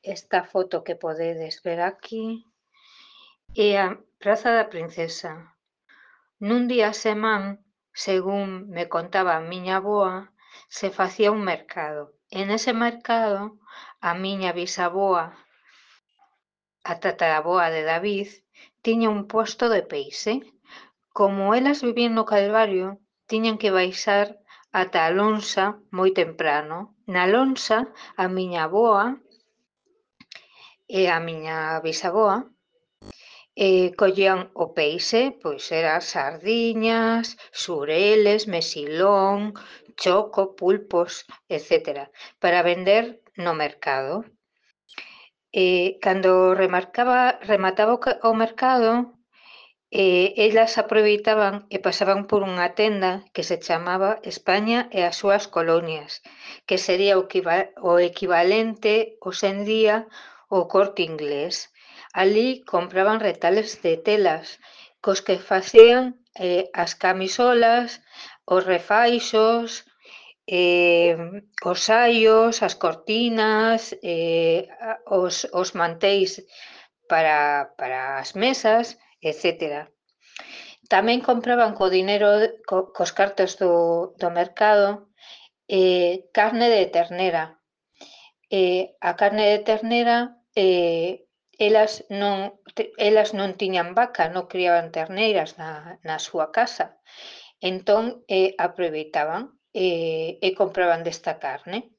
esta foto que podedes ver aquí é a Praza da Princesa. Nun día a semán, según me contaba a miña avoa, se facía un mercado. E nese mercado a miña bisavoa, a tataraboa de David, tiña un posto de peixe. Como elas vivían no Calvario, tiñan que baixar ata a lonxa moi temprano. Na lonxa, a miña avoa e a miña bisavoa collían o peixe, pois era sardiñas, xureles, mesilón, choco, pulpos, etcétera, para vender no mercado. Cando remataba o mercado, elas aproveitaban e pasaban por unha tenda que se chamaba España e as súas colonias, que sería o equivalente hoxe en día ao Corte Inglés. Alí compraban retales de telas cos que facían as camisolas, os refaixos, os saios, as cortinas, os manteis para as mesas, etcétera. Tamén compraban co dinero, cos cartos do mercado, carne de ternera. A carne de ternera, elas non tiñan vaca, non criaban terneiras na súa casa. Entón, aproveitaban e compraban desta carne.